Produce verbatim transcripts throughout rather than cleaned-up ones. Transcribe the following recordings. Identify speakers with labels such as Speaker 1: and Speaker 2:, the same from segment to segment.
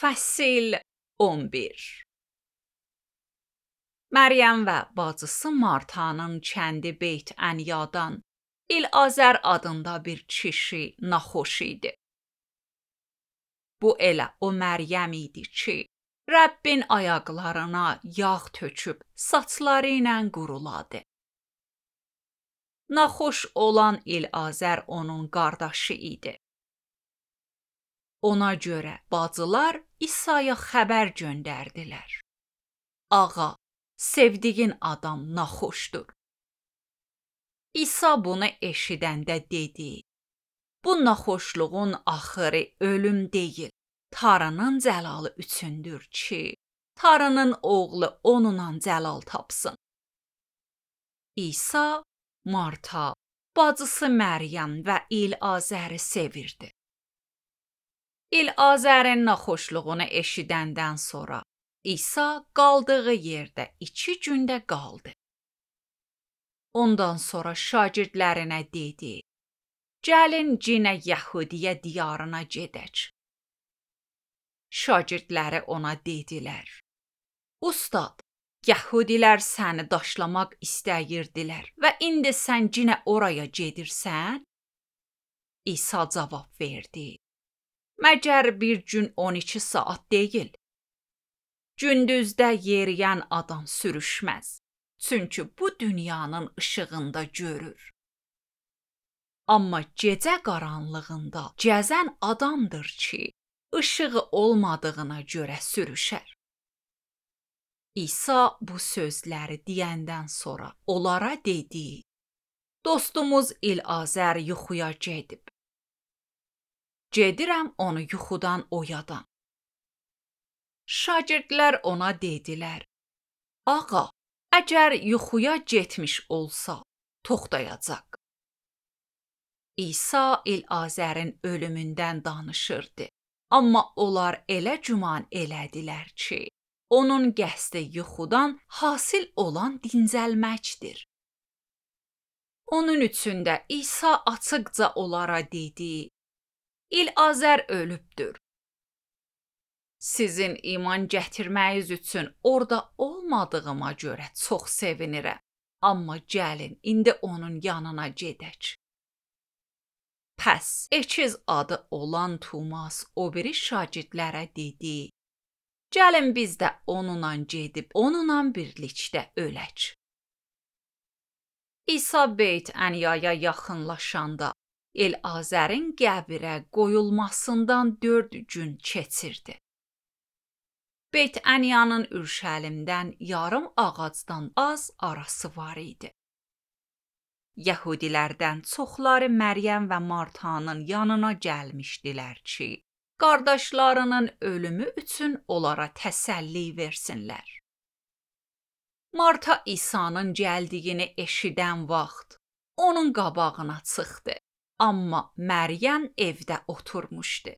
Speaker 1: Fəsil on bir. Məryəm və bacısı Martanın kəndi Beyt Əniyadan İlazər adında bir kişi naxoş idi. Bu elə o Məryəm idi ki, Rəbbin ayaqlarına yağ töküb saçları ilə quruladı. Naxoş olan İlazər onun qardaşı idi. Ona görə bacılar İsa'ya xəbər göndərdilər. Ağa, sevdiğin adam naxoşdur. İsa bunu eşidəndə dedi, bu naxoşluğun axırı ölüm deyil, Tanrının cəlalı üçündür ki, Tanrının oğlu onunla cəlal tapsın. İsa, Marta, bacısı Məryəm və İlazəri sevirdi. İlazərin naxoşluğunu eşidəndən sonra İsa qaldığı yerdə iki gündə qaldı. Ondan sonra şagirdlərinə dedi, gəlin cinə Yəhudiyə diyarına gedək. Şagirdləri ona dedilər, Ustad, Yəhudilər səni daşlamaq istəyirdilər və indi sən cinə oraya gedirsən? İsa cavab verdi, məgər bir gün on iki saat deyil. Gündüzdə yeriyən adam sürüşməz, çünki bu dünyanın işığında görür. Amma gecə qaranlığında gəzən adamdır ki, işığı olmadığına görə sürüşər. İsa bu sözləri deyəndən sonra onlara dedi, dostumuz İlazər yuxuya gedib. Gedirəm onu yuxudan oyadan. Şagirdlər ona dedilər, ağa, əgər yuxuya getmiş olsa, toxtayacaq. İsa İlazərin ölümündən danışırdı, amma onlar elə güman elədilər ki, onun qəsdi yuxudan hasil olan dincəlməkdir. Onun üçün də İsa açıqca onlara dedi, İlazər ölübdür. Sizin iman gətirməyiz üçün orada olmadığıma görə çox sevinirəm, amma gəlin indi onun yanına gedək. Pəs ekiz adı olan Tumas o biri şagirdlərə dedi, gəlin biz də onunla gedib onunla birlikdə ölək. İsa Beyt Əniyaya yaxınlaşanda İlazərin qəbrə qoyulmasından dörd gün keçirdi. Beyt Əniyanın Ürşəlimdən yarım ağacdan az arası var idi. Yəhudilərdən çoxları Məryəm və Martanın yanına gəlmişdilər ki, qardaşlarının ölümü üçün onlara təsəlli versinlər. Marta İsa'nın gəldiyini eşidən vaxt onun qabağına çıxdı, amma Məryəm evdə oturmuşdu.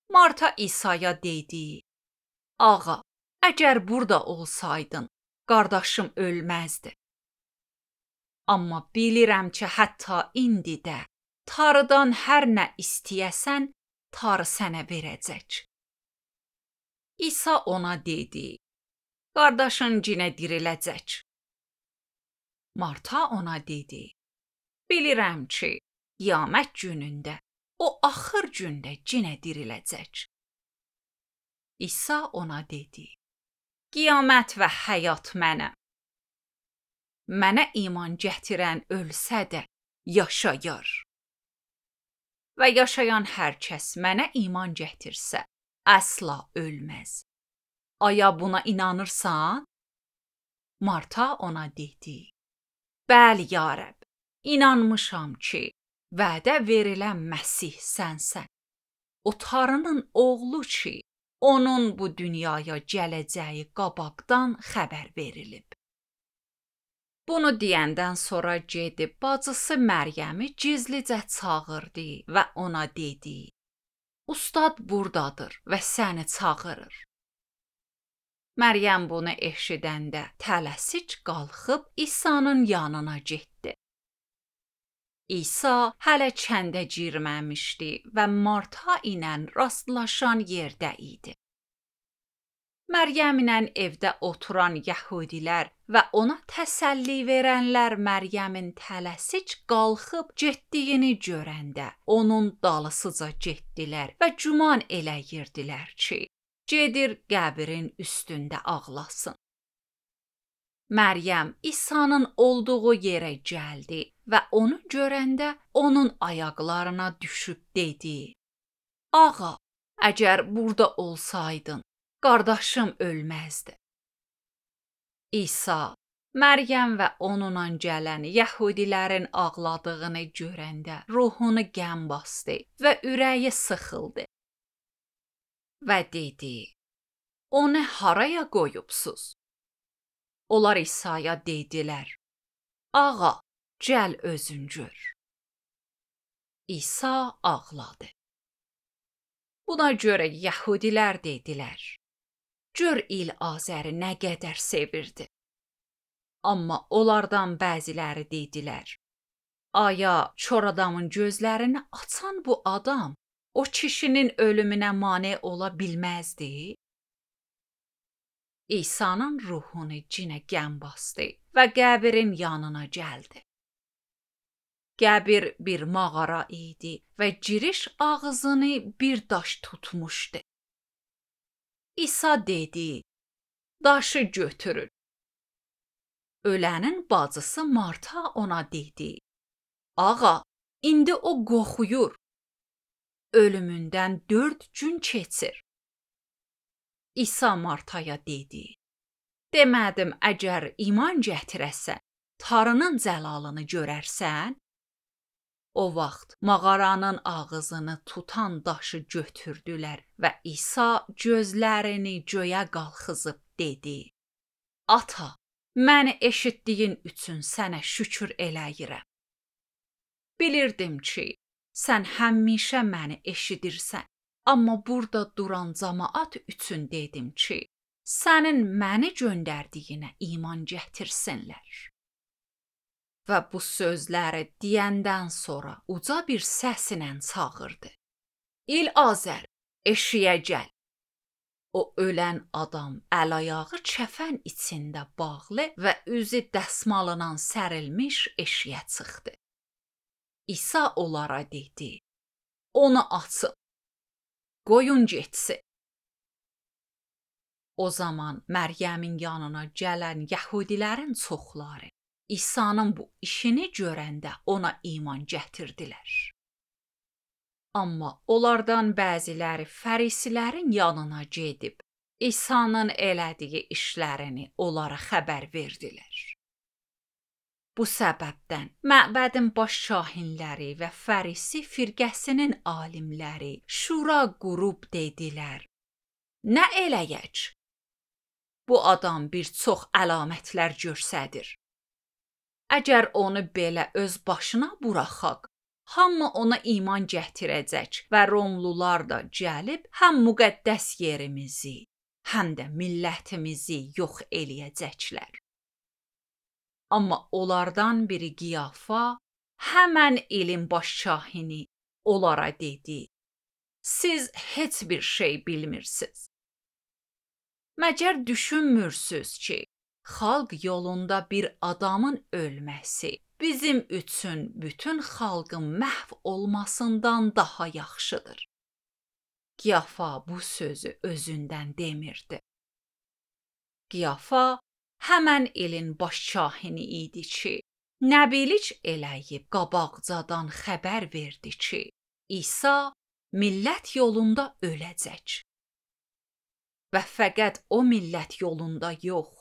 Speaker 1: Marta İsa'ya dedi, ağa, əgər burada olsaydın, qardaşım ölməzdi. Amma bilirəm ki, hətta indi də Tanrıdan hər nə istəyəsən, Tanrı sənə verəcək. İsa ona dedi, qardaşın cinə diriləcək. Marta ona dedi, bilirəm ki, qiyamət günündə o axır gündə cinə diriləcək. İsa ona dedi, qiyamət və həyat mənəm. Mənə iman gətirən ölsə də yaşayar. Və yaşayan hər kəs mənə iman gətirsə, əsla ölməz. Aya buna inanırsan? Marta ona dedi, bəli ya Rəbb, inanmışam ki, vədə verilən Məsih sənsən. O Tanrının oğlu ki, onun bu dünyaya gələcəyi qabaqdan xəbər verilib. Bunu deyəndən sonra gedib bacısı Məryəmi gizlicə çağırdı və ona dedi, Ustad buradadır və səni çağırır. Məryəm bunu eşidəndə tələsik qalxıb İsa'nın yanına getdi. İsa hələ kəndə girməmişdi və Marta ilə rastlaşan yerdə idi. Məryəmlə evdə oturan yəhudilər və ona təsəlli verənlər Məryəmin tələsik qalxıb getdiyini görəndə onun dalısıca getdilər və güman eləyirdilər ki, gedir qəbrin üstündə ağlasın. Məryəm İsa'nın olduğu yerə gəldi və onu görəndə onun ayaqlarına düşüb dedi: "Ağa, əgər burada olsaydın, qardaşım ölməzdi." İsa Məryəm və onunla gələn yəhudilərin ağladığını görəndə ruhunu qəm basdı və ürəyi sıxıldı və dedi: "Onu haraya qoyubsuz?" Onlar İsa'ya dedilər: "Ağa, gəl özün gör." İsa ağladı. Buna görə yəhudilər dedilər: "Gör İl-Azəri nə qədər sevirdi." Amma onlardan bəziləri dedilər: "Aya, kor adamın gözlərini açan bu adam o kişinin ölümünə mane ola bilməzdi?" İsa'nın ruhunu cinə qəm basdı və qəbrin yanına gəldi. Qəbir bir mağara idi və giriş ağzını bir daş tutmuşdu. İsa dedi: "Daşı götürün." Ölənin bacısı Marta ona dedi: "Ağa, indi o qoxuyur. Ölümündən dörd gün keçir." İsa Martaya dedi: "Demədim, əgər iman gətirəsən, Tanrının cəlalını görərsən?" O vaxt mağaranın ağzını tutan daşı götürdülər və İsa gözlərini göyə qalxızıb dedi: "Ata, məni eşitdiyin üçün sənə şükür eləyirəm. Bilirdim ki, sən həmişə məni eşidirsən, amma burada duran cəmaət üçün dedim ki, sənin məni göndərdiyinə iman gətirsinlər." Və bu sözləri deyəndən sonra uca bir səslə çağırdı: "İl-Azər, eşiyə gəl." O ölən adam əl-ayağı kəfən içində bağlı və üzü dəsmalına sərilmiş eşiyə çıxdı. İsa onlara dedi: "Onu açın, qoyun getsin." O zaman Məryəmin yanına gələn yəhudilərin çoxları İsa'nın bu işini görəndə ona iman gətirdilər. Amma onlardan bəziləri fərisilərin yanına gedib İsa'nın elədiyi işlərini onlara xəbər verdilər. Bu səbəbdən məbədin baş kahinləri və fərisi firqəsinin alimləri şura qurub dedilər: "Nə eləyək? Bu adam bir çox əlamətlər göstərir. Əgər onu belə öz başına buraxaq, hamı ona iman gətirəcək və Romlular da gəlib həm müqəddəs yerimizi, həm də millətimizi yox eləyəcəklər." Amma onlardan biri Qiyafa, həmən ilin baş kahini, onlara dedi: "Siz heç bir şey bilmirsiniz. Məgər düşünmürsünüz ki, xalq yolunda bir adamın ölməsi bizim üçün bütün xalqın məhv olmasından daha yaxşıdır." Qiyafa bu sözü özündən demirdi. Qiyafa həmən ilin baş kahini idi ki, nəbilik eləyib qabaqcadan xəbər verdi ki, İsa millət yolunda öləcək. Və fəqət o millət yolunda yox,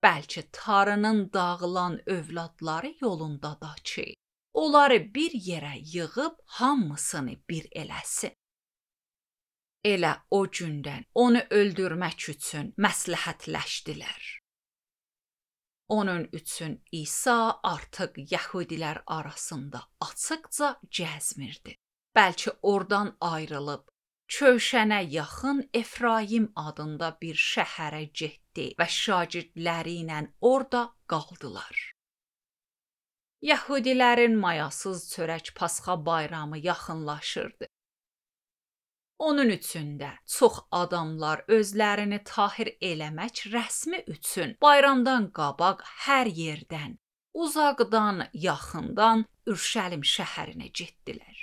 Speaker 1: bəlkə Tanrının dağılan övladları yolunda da ki, onları bir yerə yığıb hamısını bir eləsin. Elə o gündən onu öldürmək üçün məsləhətləşdilər. Onun üçün İsa artıq yəhudilər arasında açıqca gəzmirdi. Bəlkə oradan ayrılıb Köşənə yaxın Efraim adında bir şəhərə getdi və şagirdləri ilə orada qaldılar. Yəhudilərin mayasız çörək Pasxa bayramı yaxınlaşırdı. Onun üçün də çox adamlar özlərini tahir eləmək rəsmi üçün bayramdan qabaq hər yerdən, uzaqdan, yaxından Ürşəlim şəhərinə getdilər.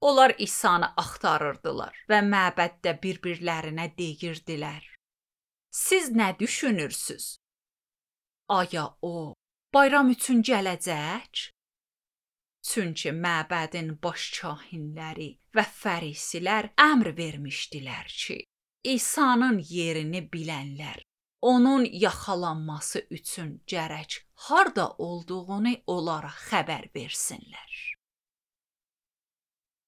Speaker 1: Onlar İsa'nı axtarırdılar və məbəddə bir-birlərinə deyirdilər: "Siz nə düşünürsüz? Aya o bayram üçün gələcək?" Çünki məbədin baş kahinləri və fərisilər əmr vermişdilər ki, İsa'nın yerini bilənlər onun yaxalanması üçün gərək harda olduğunu onlara xəbər versinlər.